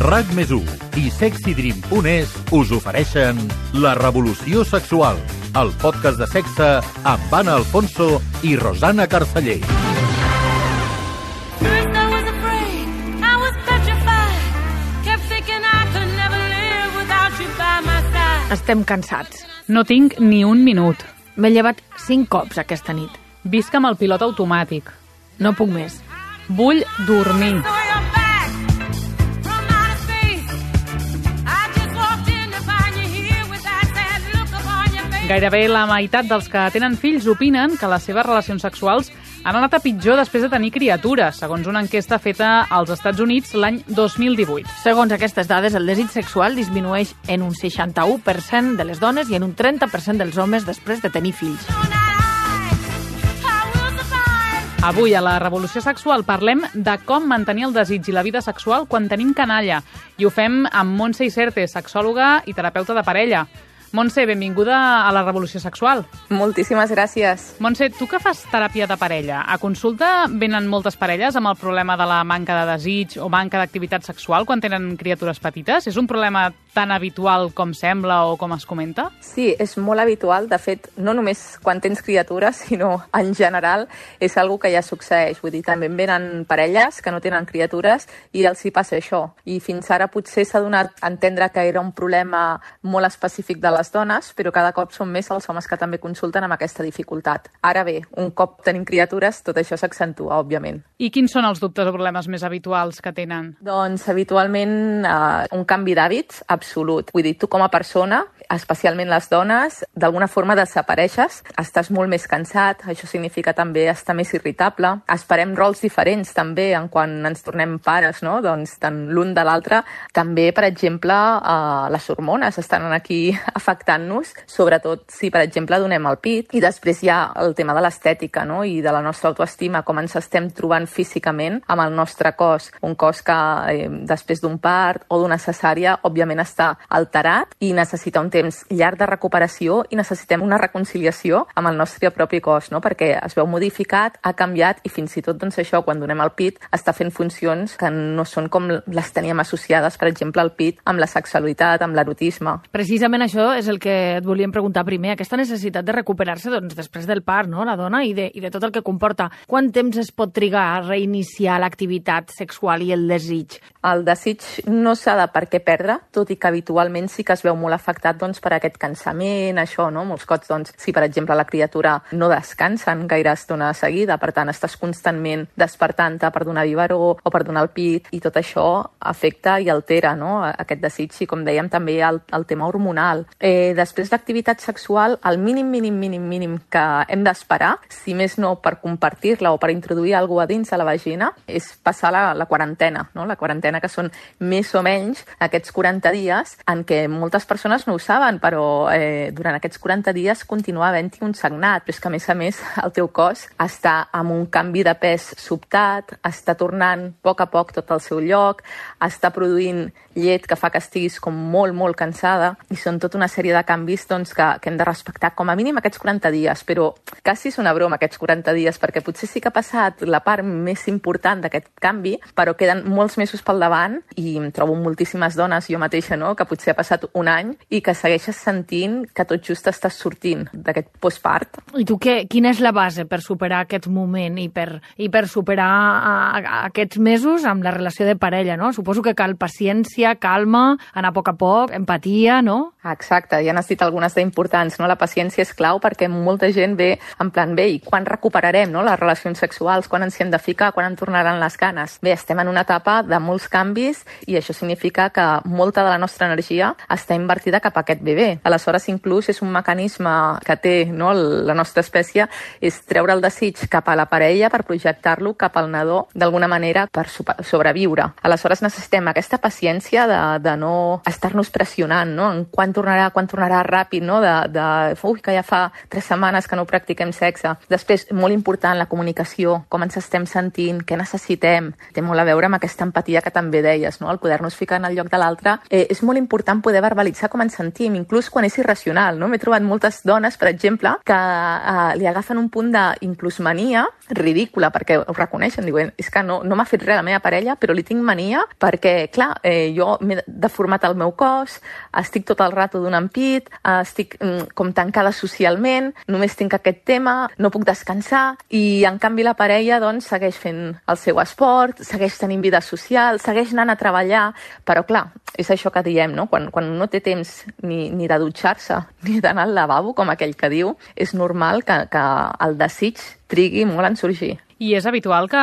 RAC+1 i SexyDream.es us ofereixen La Revolució Sexual, el podcast de sexe amb Anna Alfonso i Rosana Carceller. Estem cansats. No tinc ni un minut. M'he llevat 5 cops aquesta nit. Visc amb el pilot automàtic. No puc més. Vull dormir. Gairebé la meitat dels que tenen fills opinen que les seves relacions sexuals han anat a pitjor després de tenir criatures, segons una enquesta feta als Estats Units l'any 2018. Segons aquestes dades, el desig sexual disminueix en un 61% de les dones i en un 30% dels homes després de tenir fills. Avui, a la Revolució Sexual, parlem de com mantenir el desig i la vida sexual quan tenim canalla. I ho fem amb Montse Iserte, sexòloga i terapeuta de parella. Montse, benvinguda a la Revolució Sexual. Moltíssimes gràcies. Montse, tu que fas teràpia de parella, a consulta venen moltes parelles amb el problema de la manca de desig o manca d'activitat sexual quan tenen criatures petites? És un problema tan habitual com sembla o com es comenta? Sí, és molt habitual. De fet, no només quan tens criatures, sinó en general és algo que ja succeeix. Vull dir, també venen parelles que no tenen criatures i els hi passa això. I fins ara potser s'ha donat a entendre que era un problema molt específic de les dones, però cada cop són més els homes que també consulten amb aquesta dificultat. Ara bé, un cop tenim criatures, tot això s'accentua, òbviament. I quins són els dubtes o problemes més habituals que tenen? Doncs habitualment un canvi d'hàbits absolut. Vull dir, tu com a persona, especialment les dones, d'alguna forma desapareixes, estàs molt més cansat, això significa també estar més irritable, esperem rols diferents també en quan ens tornem pares, no? Doncs tant l'un de l'altre. També, per exemple, les hormones estan aquí afectant-nos, sobretot si, per exemple, donem el pit. I després hi ha el tema de l'estètica, no? I de la nostra autoestima, com ens estem trobant físicament amb el nostre cos. Un cos que després d'un part o d'una cesària, òbviament està alterat i necessita un temps llarg de recuperació i necessitem una reconciliació amb el nostre propi cos, no? Perquè es veu modificat, ha canviat i fins i tot doncs, això, quan donem el pit, està fent funcions que no són com les teníem associades, per exemple, el pit amb la sexualitat, amb l'erotisme. Precisament això és el que et volíem preguntar primer, aquesta necessitat de recuperar-se doncs, després del part, no? La dona, i de tot el que comporta. Quant temps es pot trigar a reiniciar l'activitat sexual i el desig? El desig no s'ha de per què perdre, tot i que habitualment sí que es veu molt afectat doncs, per aquest cansament, això, no? Molts cops, doncs, si per exemple la criatura no descansa en gaire estona de seguida, per tant estàs constantment despertant-te per donar biberó o per donar el pit, i tot això afecta i altera, no? Aquest desig, i com dèiem també el tema hormonal. Després d'activitat sexual, el mínim que hem d'esperar, si més no per compartir-la o per introduir alguna cosa a dins de la vagina, és passar la quarantena, no? La quarantena, que són més o menys aquests 40 dies en què moltes persones no ho saben, però durant aquests 40 dies continua havent-hi un sagnat, però és que a més el teu cos està amb un canvi de pes sobtat, està tornant a poc tot al seu lloc, està produint llet que fa que estiguis com molt cansada, i són tota una sèrie de canvis doncs, que hem de respectar com a mínim aquests 40 dies, però quasi és una broma aquests 40 dies, perquè potser sí que ha passat la part més important d'aquest canvi, però queden molts mesos pel davant, i em trobo moltíssimes dones, jo mateixa, no?, que potser ha passat un any i que segueixes sentint que tot just estàs sortint d'aquest postpart. I tu quina és la base per superar aquest moment i per superar aquests mesos amb la relació de parella, no? Suposo que cal paciència, calma, anar a poc, empatia, no? Exacte, ja n'has dit algunes d'importants, no? La paciència és clau perquè molta gent ve en plan, bé, i quan recuperarem, no?, les relacions sexuals, quan ens hi hem de ficar, quan en tornaran les ganes? Bé, estem en una etapa de molts canvis i això significa que molta de la nostra energia està invertida cap a aquest bebè. Aleshores, inclús és un mecanisme que té, no?, la nostra espècie, és treure el desig cap a la parella per projectar-lo cap al nadó d'alguna manera per sobreviure. Aleshores necessitem aquesta paciència de no estar-nos pressionant, no?, en quant quan tornarà ràpid, no? Que ja fa 3 setmanes que no practiquem sexe. Després, molt important, la comunicació, com ens estem sentint, què necessitem. Té molt a veure amb aquesta empatia que també deies, no? El poder-nos ficar en el lloc de l'altre. És molt important poder verbalitzar com ens sentim, inclús quan és irracional, no? M'he trobat moltes dones, per exemple, que li agafen un punt d'inclús mania ridícula, perquè ho reconeixen, diuen, és que no m'ha fet res la meva parella, però li tinc mania perquè, clar, jo m'he deformat el meu cos, estic tot el rato donant pit, estic com tancada socialment, només tinc aquest tema, no puc descansar, i en canvi la parella doncs segueix fent el seu esport, segueix tenint vida social, segueix anant a treballar, però clar, és això que diem, no? Quan no té temps ni de dutxar-se, ni d'anar al lavabo, com aquell que diu, és normal que el desig trigui molt en sorgir. I és habitual que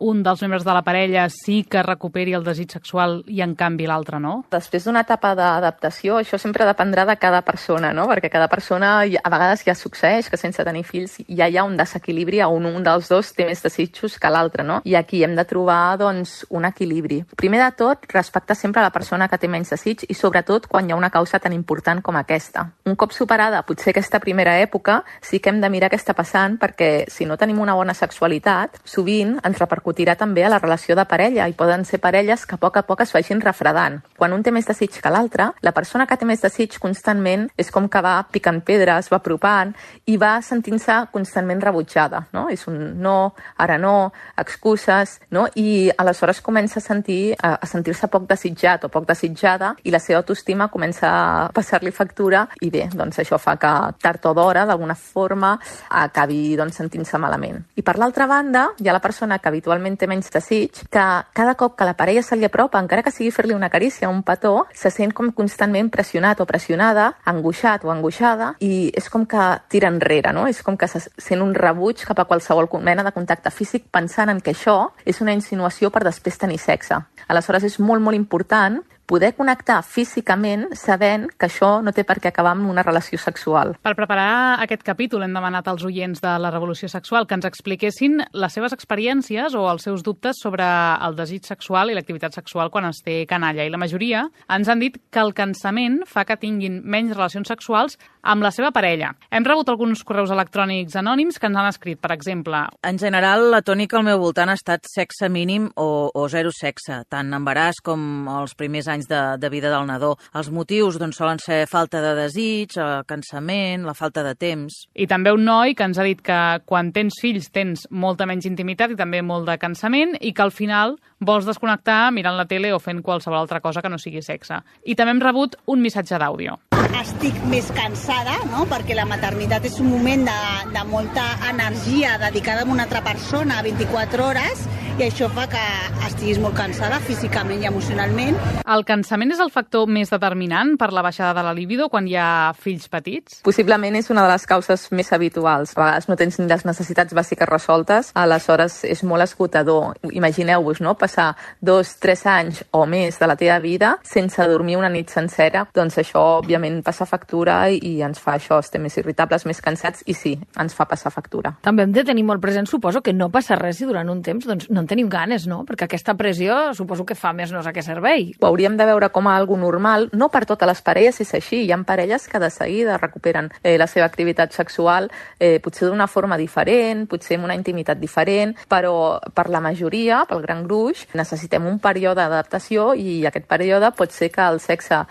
un dels membres de la parella sí que recuperi el desig sexual i en canvi l'altre no? Després d'una etapa d'adaptació, això sempre dependrà de cada persona, no? Perquè cada persona a vegades ja succeeix que sense tenir fills ja hi ha un desequilibri on un dels dos té més desitjos que l'altre, no? I aquí hem de trobar doncs, un equilibri. Primer de tot, respectar sempre la persona que té menys desig i sobretot quan hi ha una causa tan important com aquesta. Un cop superada potser aquesta primera època, sí que hem de mirar què està passant perquè si no tenim una bona sexualitat, sovint ens repercutirà també a la relació de parella i poden ser parelles que a poc es vagin refredant. Quan un té més desig que l'altre, la persona que té més desig constantment és com que va picant pedres, va apropant i va sentint-se constantment rebutjada, no? És un no, ara no, excuses, no? I aleshores comença a sentir-se poc desitjat o poc desitjada i la seva autoestima comença a passar-li factura i bé, doncs això fa que tard o d'hora, d'alguna forma, acabi doncs, sentint-se malament. I per l'altra banda, hi ha la persona que habitualment té menys desig, que cada cop que la parella se li apropa, encara que sigui fer-li una carícia o un petó, se sent com constantment pressionat o pressionada, angoixat o angoixada, i és com que tira enrere, no? És com que se sent un rebuig cap a qualsevol mena de contacte físic pensant en que això és una insinuació per després tenir sexe. Aleshores és molt, molt important poder connectar físicament sabent que això no té per què acabar amb una relació sexual. Per preparar aquest capítol hem demanat als oients de la Revolució Sexual que ens expliquessin les seves experiències o els seus dubtes sobre el desig sexual i l'activitat sexual quan es té canalla. I la majoria ens han dit que el cansament fa que tinguin menys relacions sexuals amb la seva parella. Hem rebut alguns correus electrònics anònims que ens han escrit, per exemple. En general, la tònica al meu voltant ha estat sexe mínim o zero sexe, tant embaràs com els primers anys de vida del nadó. Els motius doncs, solen ser falta de desig, cansament, la falta de temps. I també un noi que ens ha dit que quan tens fills tens molta menys intimitat i també molt de cansament i que al final vols desconnectar mirant la tele o fent qualsevol altra cosa que no sigui sexe. I també hem rebut un missatge d'àudio. Estic més cansada, no? Perquè la maternitat és un moment de molta energia dedicada a una altra persona 24 hores i això fa que estiguis molt cansada físicament i emocionalment. El cansament és el factor més determinant per la baixada de la libido quan hi ha fills petits? Possiblement és una de les causes més habituals. A vegades no tens ni les necessitats bàsiques resoltes, aleshores és molt esgotador. Imagineu-vos, no? Passar 2-3 anys o més de la teva vida sense dormir una nit sencera, doncs això òbviament passa factura i ens fa això, estem més irritables, més cansats i sí, ens fa passar factura. També hem de tenir molt present, suposo, que no passa res si durant un temps doncs, no en tenim ganes, no? Perquè aquesta pressió suposo que fa més no sé a què servei. Ho hauríem de veure com a algo normal, no per totes les parelles és així, hi ha parelles que de seguida recuperen la seva activitat sexual, potser d'una forma diferent, potser amb una intimitat diferent, però per la majoria, pel gran gruix, necessitem un període d'adaptació i aquest període pot ser que el sexe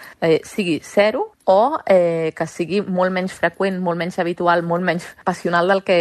sigui zero o que sigui molt menys freqüent, molt menys habitual, molt menys passional del que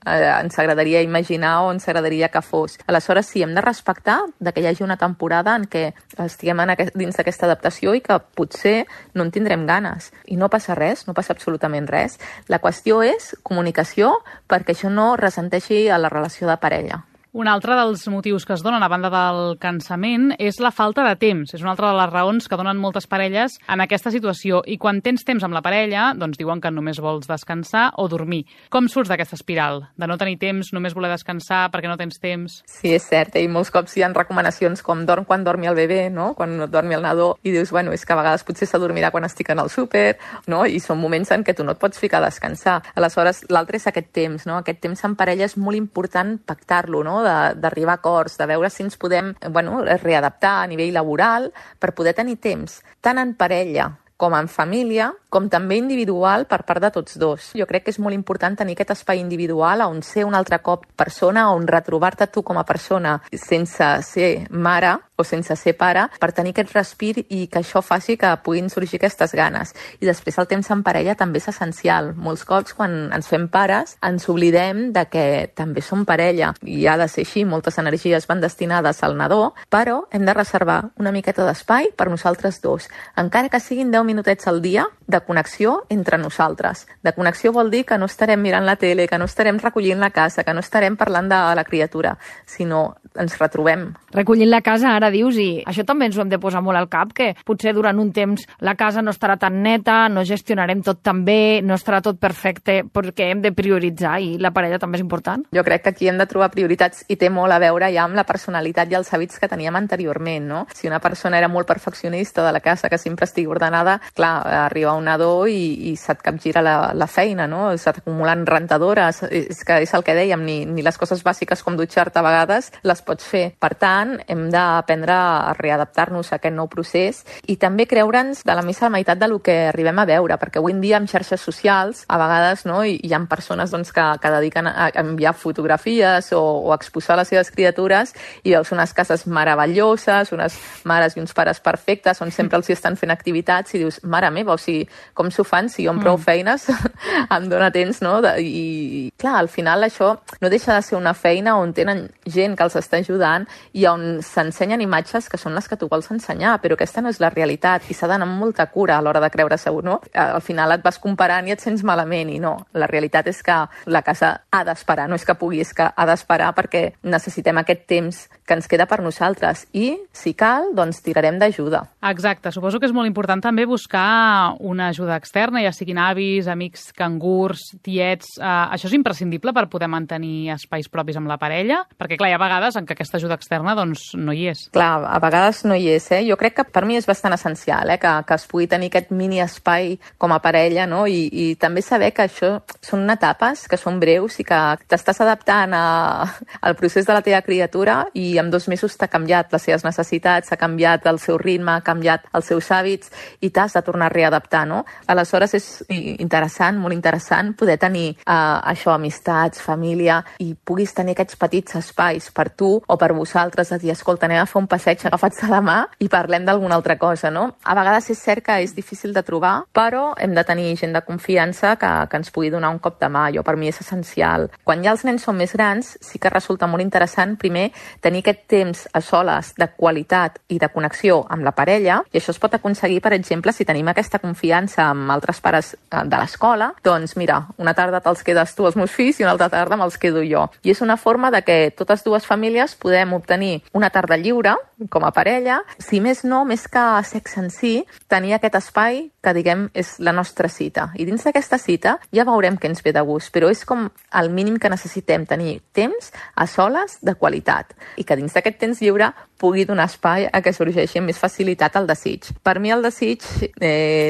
ens agradaria imaginar o ens agradaria que fos. Aleshores, sí, hem de respectar que hi hagi una temporada en què estiguem dins d'aquesta adaptació i que potser no en tindrem ganes. I no passa res, no passa absolutament res. La qüestió és comunicació perquè això no ressenteixi a la relació de parella. Un altre dels motius que es donen a banda del cansament és la falta de temps. És una altra de les raons que donen moltes parelles en aquesta situació. I quan tens temps amb la parella, doncs diuen que només vols descansar o dormir. Com surts d'aquesta espiral? De no tenir temps, només voler descansar perquè no tens temps? Sí, és cert. I molts cops hi ha recomanacions com dorm quan dormi el bebè, no? Quan dormi el nadó. I dius, bueno, és que a vegades potser s'adormirà quan estic en el súper, no? I són moments en què tu no et pots ficar a descansar. Aleshores, l'altre és aquest temps, no? Aquest temps en parella és molt important pactar-lo, no? D'arribar a acords, de veure si ens podem readaptar a nivell laboral per poder tenir temps, tant en parella com en família, com també individual per part de tots dos. Jo crec que és molt important tenir aquest espai individual on ser un altre cop persona, on retrobar-te tu com a persona sense ser mare o sense ser pare, per tenir aquest respir i que això faci que puguin sorgir aquestes ganes. I després el temps en parella també és essencial. Molts cops quan ens fem pares ens oblidem de que també som parella i ha de ser així, moltes energies van destinades al nadó, però hem de reservar una miqueta d'espai per nosaltres dos, encara que siguin 10 minutets al dia de connexió entre nosaltres. De connexió vol dir que no estarem mirant la tele, que no estarem recollint la casa, que no estarem parlant de la criatura, sinó ens retrobem. Recollint la casa, ara dius, i això també ens ho hem de posar molt al cap, que potser durant un temps la casa no estarà tan neta, no gestionarem tot tan bé, no estarà tot perfecte, perquè hem de prioritzar i la parella també és important. Jo crec que aquí hem de trobar prioritats i té molt a veure ja amb la personalitat i els hàbits que teníem anteriorment, no? Si una persona era molt perfeccionista de la casa, que sempre estigui ordenada, clar, arriba un nadó i se't capgira la feina, no? Se't acumulen rentadores, és que és el que dèiem, ni les coses bàsiques com dutxar-te a vegades les pots fer. Per tant, hem d'aprendre a readaptar-nos a aquest nou procés i també creure'ns de la missa a la meitat del que arribem a veure, perquè avui en dia amb xarxes socials, a vegades, no, hi ha persones doncs, que dediquen a enviar fotografies o exposar les seves criatures i veus unes cases meravelloses, unes mares i uns pares perfectes, on sempre els estan fent activitats i dius, mare meva, o sigui, com s'ho fan si jo amb prou feines em dóna temps, no? I clar, al final això no deixa de ser una feina on tenen gent que els està ajudant i on s'ensenyen imatges que són les que tu vols ensenyar, però aquesta no és la realitat i s'ha d'anar amb molta cura a l'hora de creure-se, no? Al final et vas comparant i et sents malament i no, la realitat és que la casa ha d'esperar, no és que pugui, és que ha d'esperar perquè necessitem aquest temps que ens queda per nosaltres i, si cal, doncs tirarem d'ajuda. Exacte, suposo que és molt important també buscar una ajuda externa, ja siguin avis, amics, cangurs, tiets. Això és imprescindible per poder mantenir espais propis amb la parella? Perquè, clar, hi ha vegades en què aquesta ajuda externa doncs, no hi és. Clar, a vegades no hi és. Jo crec que per mi és bastant essencial que es pugui tenir aquest mini espai com a parella, no? I també saber que això són etapes que són breus i que t'estàs adaptant al procés de la teva criatura i en 2 mesos t'ha canviat les seves necessitats, ha canviat el seu ritme, ha canviat els seus hàbits i t'has de tornar a readaptar, no? Aleshores és interessant, molt interessant, poder tenir això, amistats, família, i puguis tenir aquests petits espais per tu o per vosaltres, de dir, escolta, anem a fer un passeig agafats de la mà i parlem d'alguna altra cosa, no? A vegades és cert que és difícil de trobar, però hem de tenir gent de confiança que ens pugui donar un cop de mà. Jo, per mi és essencial. Quan ja els nens són més grans, sí que resulta molt interessant, primer, tenir aquest temps a soles de qualitat i de connexió amb la parella, i això es pot aconseguir, per exemple, si tenim aquesta confiança amb altres pares de l'escola, doncs mira, una tarda te'ls quedes tu els meus fills i una altra tarda me'ls quedo jo. I és una forma de que totes dues famílies podem obtenir una tarda lliure com a parella, si més no, més que sexe en si, tenir aquest espai que, diguem, és la nostra cita. I dins d'aquesta cita ja veurem què ens ve de gust, però és com el mínim que necessitem, tenir temps a soles de qualitat i que dins d'aquest temps lliure pugui donar espai a que sorgeixi amb més facilitat el desig. Per mi el desig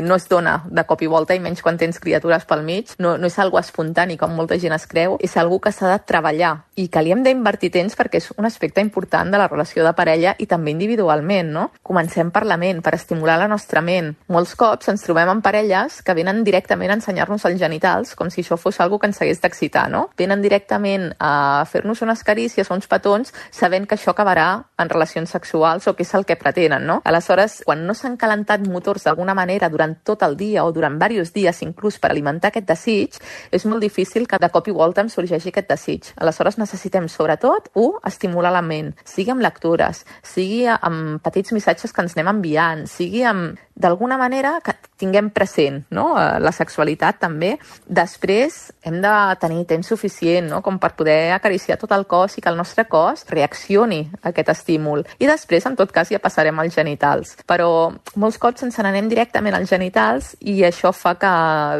no es dona de cop i volta, i menys quan tens criatures pel mig, no és algo espontani com molta gent es creu, és algo que s'ha de treballar i que li hem d'invertir temps perquè és un aspecte important de la relació de parella i també individualment, no? Comencem per la ment, per estimular la nostra ment. Molts cops ens trobem en parelles que venen directament a ensenyar-nos els genitals com si això fos algo que ens hagués d'excitar, no? Venen directament a fer-nos unes carícies o uns petons sabent que això acabarà en relacions sexuals o que és el que pretenen, no? Aleshores, quan no s'han calentat motors d'alguna manera durant tot el dia o durant diversos dies inclús per alimentar aquest desig, és molt difícil que de cop i volta em sorgeixi aquest desig. Aleshores necessitem, sobretot, estimular la ment, sigui amb lectures, sigui amb petits missatges que ens anem enviant, sigui amb, d'alguna manera, que tinguem present, no? La sexualitat també. Després hem de tenir temps suficient, no? Com per poder acariciar tot el cos i que el nostre cos reaccioni a aquest estímul. I després, en tot cas, ja passarem als genitals. Però molts cops ens n'anem directament als genitals i això fa que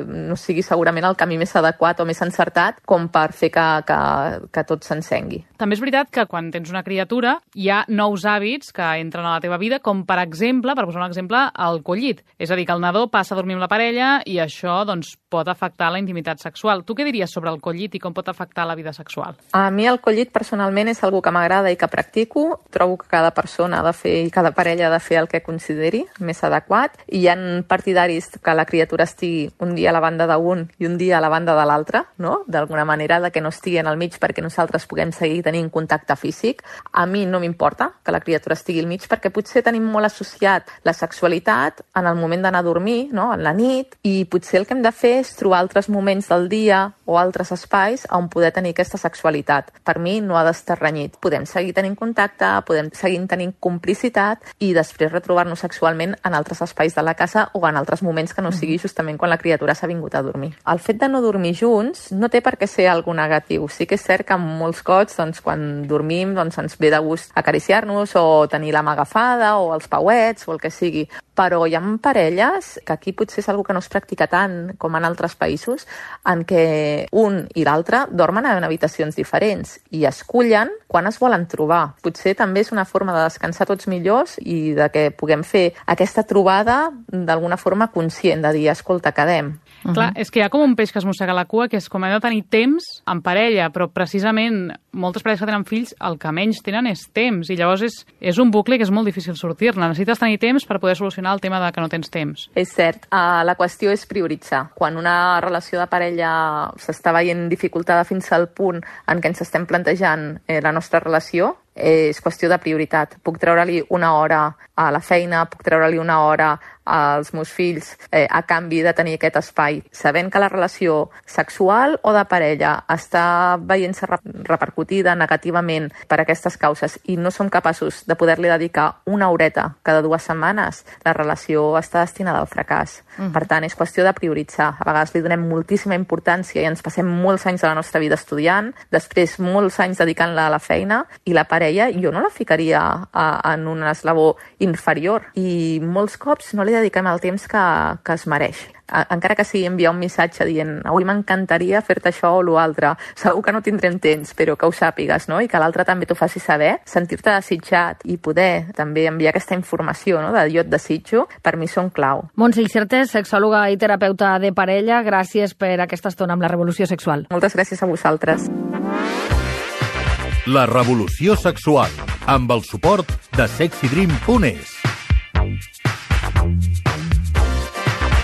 no sigui segurament el camí més adequat o més encertat com per fer que tot s'encengui. També és veritat que quan quan tens una criatura, hi ha nous hàbits que entren a la teva vida, com per exemple, per posar un exemple, el collit. És a dir, que el nadó passa a dormir amb la parella i això doncs, pot afectar la intimitat sexual. Tu què diries sobre el collit i com pot afectar la vida sexual? A mi el collit personalment és algo que m'agrada i que practico. Trobo que cada persona ha de fer i cada parella ha de fer el que consideri més adequat. I hi ha partidaris que la criatura estigui un dia a la banda d'un i un dia a la banda de l'altre, no? D'alguna manera, de que no estigui en el mig perquè nosaltres puguem seguir tenint contacte físic. A mi no m'importa que la criatura estigui al mig perquè potser tenim molt associat la sexualitat en el moment d'anar a dormir, no? En la nit, i potser el que hem de fer és trobar altres moments del dia o altres espais on poder tenir aquesta sexualitat. Per mi no ha d'estar renyit. Podem seguir tenint contacte, podem seguir tenint complicitat i després retrobar-nos sexualment en altres espais de la casa o en altres moments que no sigui justament quan la criatura s'ha vingut a dormir. El fet de no dormir junts no té per què ser algo negatiu. Sí que és cert que molts cops, doncs, quan dormim, doncs, ens ve de gust acariciar-nos o tenir la mà agafada o els pauets o el que sigui. Però hi ha parelles, que aquí potser és algo que no es practica tant com en altres països, en què un i l'altre dormen en habitacions diferents i escullen quan es volen trobar. Potser també és una forma de descansar tots millors i de que puguem fer aquesta trobada d'alguna forma conscient, de dir, escolta, quedem. Clar, és que hi ha com un peix que es mossega la cua, que és com hem de tenir temps en parella, però precisament moltes parelles que tenen fills el que menys tenen és temps, i llavors és un bucle que és molt difícil sortir-ne. Necessites tenir temps per poder solucionar el tema de que no tens temps. És cert. La qüestió és prioritzar. Quan una relació de parella s'està veient dificultada fins al punt en què ens estem plantejant la nostra relació, és qüestió de prioritat. Puc treure-li una hora a la feina, puc treure-li una hora als meus fills a canvi de tenir aquest espai, sabent que la relació sexual o de parella està veient-se repercutida negativament per aquestes causes i no som capaços de poder-li dedicar una horeta cada 2 setmanes, la relació està destinada al fracàs. Per tant, és qüestió de prioritzar. A vegades li donem moltíssima importància i ens passem molts anys de la nostra vida estudiant, després molts anys dedicant-la a la feina, i la parella jo no la ficaria en un esglaó inferior, i molts cops no li dediquem el temps que es mereix. Encara que sigui enviar un missatge dient avui m'encantaria fer-te això o l'altre, segur que no tindrem temps, però que ho sàpigues, no? I que l'altre també t'ho faci saber, sentir-te desitjat i poder també enviar aquesta informació, no? De jo et desitjo, per mi són clau. Montse Icertes, sexòloga i terapeuta de parella, gràcies per aquesta estona amb la Revolució Sexual. Moltes gràcies a vosaltres. La Revolució Sexual, amb el suport de sexydream.es.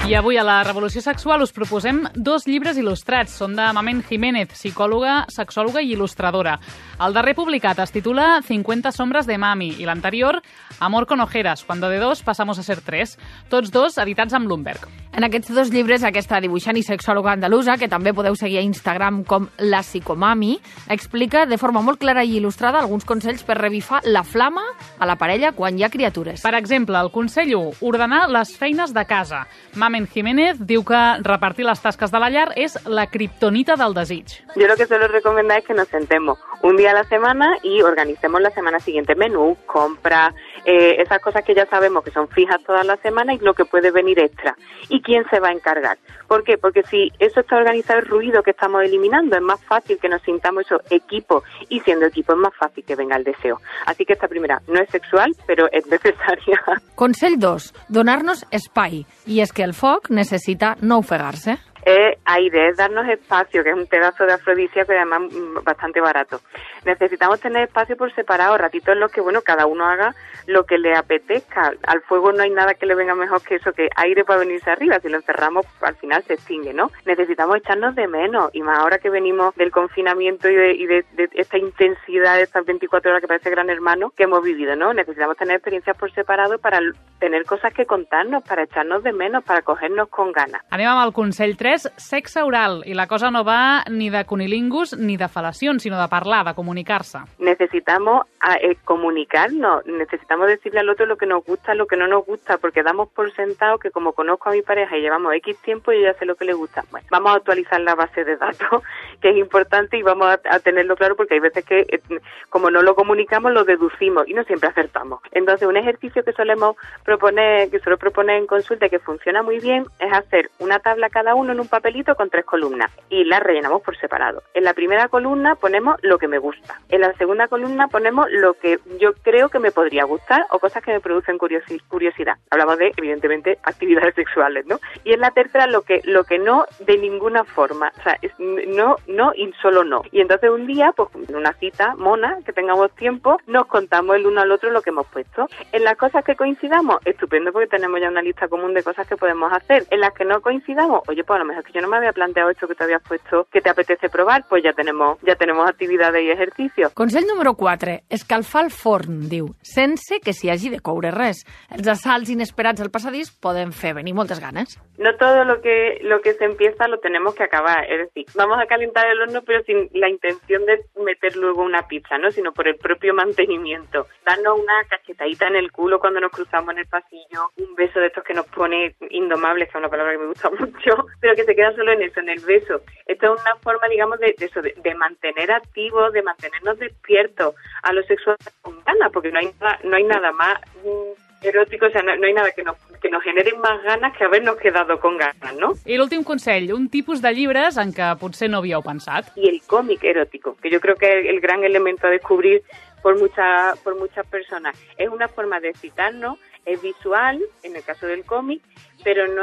I avui a la Revolució Sexual us proposem 2 llibres il·lustrats. Són de Mamen Jiménez, psicòloga, sexòloga i il·lustradora. El darrer publicat es titula 50 sombras de mami i l'anterior Amor con ojeras, cuando de 2 pasamos a ser 3. Tots 2 editats amb Bloomberg. En aquests 2 llibres, aquesta dibuixant i sexòloga andalusa, que també podeu seguir a Instagram com la psicomami, explica de forma molt clara i il·lustrada alguns consells per revifar la flama a la parella quan hi ha criatures. Per exemple, el consell 1, ordenar les feines de casa. Mamen Jiménez diu que repartir les tasques de la llar és la kriptonita del desig. Yo lo que suelo recomendar es que nos sentemos un día a la semana y organicemos la semana siguiente menú, compra, esas cosas que ya sabemos que son fijas toda la semana y lo que puede venir extra. ¿Y quién se va a encargar? ¿Por qué? Porque si eso está organizado, el ruido que estamos eliminando, es más fácil que nos sintamos eso equipo, y siendo equipo es más fácil que venga el deseo. Así que esta primera no es sexual, pero es necesaria. Consell 2, donar-nos espai. I és que el foc necessita no ofegar-se. Es aire, es darnos espacio, que es un pedazo de afrodisíaco y además bastante barato. Necesitamos tener espacio por separado, ratitos en los que, bueno, cada uno haga lo que le apetezca. Al fuego no hay nada que le venga mejor que eso, que aire para venirse arriba. Si lo encerramos, al final se extingue, ¿no? Necesitamos echarnos de menos, y más ahora que venimos del confinamiento y de esta intensidad de estas 24 horas que parece Gran Hermano que hemos vivido, ¿no? Necesitamos tener experiencias por separado para tener cosas que contarnos, para echarnos de menos, para cogernos con ganas. Anem amb el consell 3, sexe oral, i la cosa no va ni de cunilingus ni de fal·lacions, sinó de parlar, de comunicar-se. Necesitamos comunicarnos, necesitamos decirle al otro lo que nos gusta, lo que no nos gusta, porque damos por sentado que como conozco a mi pareja y llevamos X tiempo, yo ya sé lo que le gusta. Bueno, vamos a actualizar la base de datos, que es importante, y vamos a tenerlo claro, porque hay veces que como no lo comunicamos, lo deducimos y no siempre acertamos. Entonces, un ejercicio que suelo proponer en consulta y que funciona muy bien es hacer una tabla cada uno en un papelito con 3 columnas y las rellenamos por separado. En la primera columna ponemos lo que me gusta. En la segunda columna ponemos lo que yo creo que me podría gustar o cosas que me producen curiosidad. Hablamos de, evidentemente, actividades sexuales, ¿no? Y en la tercera lo que no de ninguna forma. O sea, no y solo no. Y entonces un día, pues en una cita mona, que tengamos tiempo, nos contamos el uno al otro lo que hemos puesto. En las cosas que coincidamos, estupendo, porque tenemos ya una lista común de cosas que podemos hacer. En las que no coincidamos, oye, pues a lo mejor es que yo no me había planteado esto que te habías puesto, que te apetece probar, pues ya tenemos actividades i exercicis. Consell número 4. Escalfar el forn, diu, sense que s'hi hagi de coure res. Els assalts inesperats al passadís poden fer venir moltes ganes. No todo lo que se empieza lo tenemos que acabar. Es decir, vamos a calentar el horno, pero sin la intención de meter luego una pizza, ¿no? Sino por el propio mantenimiento. Darnos una cachetadita en el culo cuando nos cruzamos en el pasillo, un beso de estos que nos pone indomables, que es una palabra que me gusta mucho, pero que se queda solo en eso, en el beso. Esto es una forma, digamos, de mantener activos, de mantenernos despiertos a lo sexual con ganas, porque no hay nada más erótico, o sea, no hay nada que nos genere más ganas que habernos quedado con ganas, ¿no? I l'últim consell, un tipus de llibres en què potser no havíeu pensat. Y el cómic erótico, que yo creo que es el gran elemento a descubrir por muchas personas. Es una forma de excitarnos, es visual, en el caso del cómic, pero no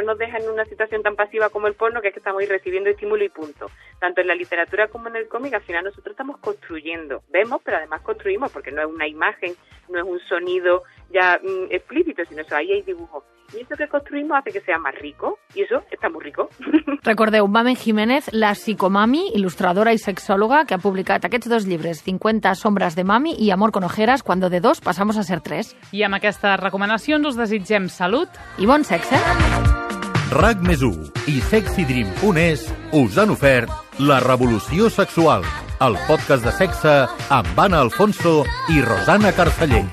nos deja en una situación tan pasiva como el porno, que es que estamos ahí recibiendo estímulo y punto. Tanto en la literatura como en el cómic, al final nosotros estamos construyendo. Vemos, pero además construimos, porque no es una imagen, no es un sonido ya explícito, sino eso, ahí hay dibujo. Y eso que construimos hace que sea más rico, y eso está muy rico. Recordeu, Mamen Jiménez, la psicomami, il·lustradora i sexòloga, que ha publicat aquests 2 llibres, 50 sombras de mami i Amor con ojeras, cuando de 2 pasamos a ser 3. I amb aquestes recomanacions us desitgem salut i bon sexe. RAC+1 i sexydream.es us han ofert La Revolució Sexual, el podcast de sexe amb Anna Alfonso i Rosana Carceller.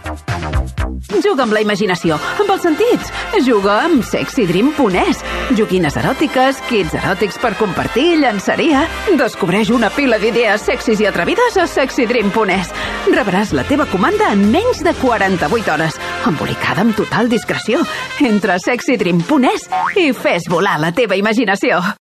Juga amb la imaginació, amb els sentits. Juga amb sexydream.es. Joguines eròtiques, kits eròtics per compartir, llançaria. Descobreix una pila d'idees sexis i atrevides a sexydream.es. Rebràs la teva comanda en menys de 48 hores, embolicada amb total discreció. Entra a sexydream.es i fes volar la teva imaginació.